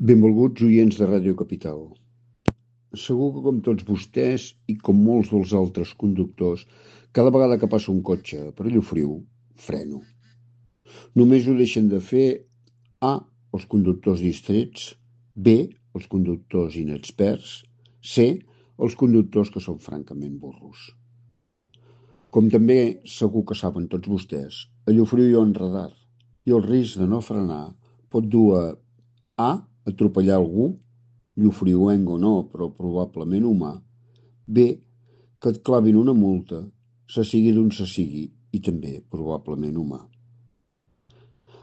Benvolguts oients de Ràdio Capital. Segur que com tots vostès i com molts dels altres conductors, cada vegada que passa un cotxe per Llofriu, freno. Només ho deixen de fer A, els conductors distrets, B, els conductors inexperts, C, els conductors que són francament burros. Com també segur que saben tots vostès, a Llofriu hi ha un radar i el risc de no frenar pot dur a atropellar algú, llofriuenc o no, però probablement humà, B, que et clavin una multa, se sigui d'on se sigui, i també probablement humà.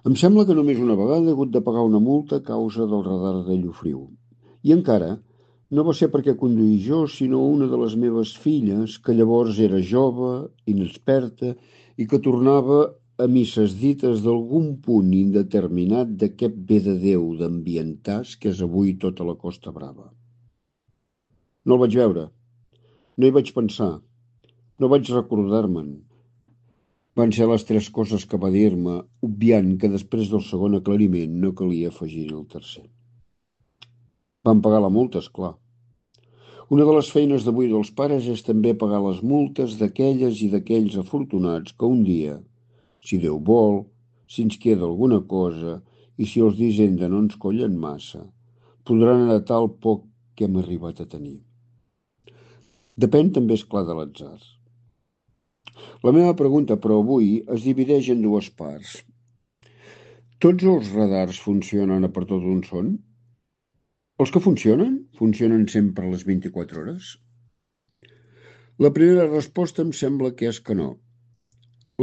Em sembla que només una vegada he hagut de pagar una multa a causa del radar de Llofriu. I encara, no va ser perquè conduïs jo, sinó una de les meves filles, que llavors era jove, inexperta, i que tornava a misses dites d'algun punt indeterminat d'aquest bé de Déu d'ambientàs que és avui tota la Costa Brava. No el vaig veure, no hi vaig pensar, no vaig recordar-me'n. Van ser les tres coses que va dir-me, obviant que després del segon aclariment no calia afegir el tercer. Van pagar la multa, esclar. Una de les feines d'avui dels pares és també pagar les multes d'aquelles i d'aquells afortunats que un dia, si Déu vol, si ens queda alguna cosa i si els d'Hisenda no ens collen massa, podran heretar el poc que hem arribat a tenir. Depèn també, esclar, de l'atzar. La meva pregunta, però, avui es divideix en dues parts. Tots els radars funcionen a per tot on són? Els que funcionen sempre a les 24 hores? La primera resposta em sembla que és que no.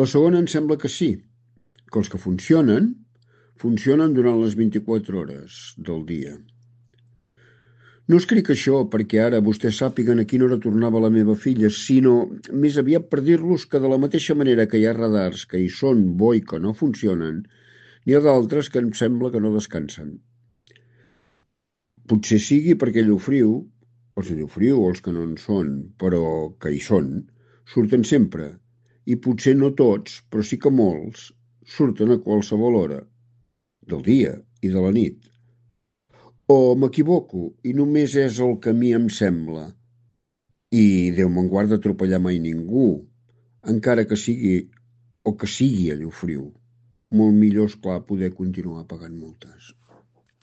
La segona em sembla que sí, que els que funcionen durant les 24 hores del dia. No escric això perquè ara vostès sàpiguen a quina hora tornava la meva filla, sinó més aviat per dir-los que de la mateixa manera que hi ha radars que hi són bo i que no funcionen, n'hi ha d'altres que em sembla que no descansen. Potser sigui perquè Llofriu, els de Llofriu o els que no en són, però que hi són, surten sempre, i potser no tots, però sí que molts, surten a qualsevol hora, del dia i de la nit. O m'equivoco i només és el que a mi em sembla. I Déu me'n guard d'atropellar mai ningú, encara que sigui o que sigui a Llofriu. Molt millor, esclar, poder continuar pagant multes.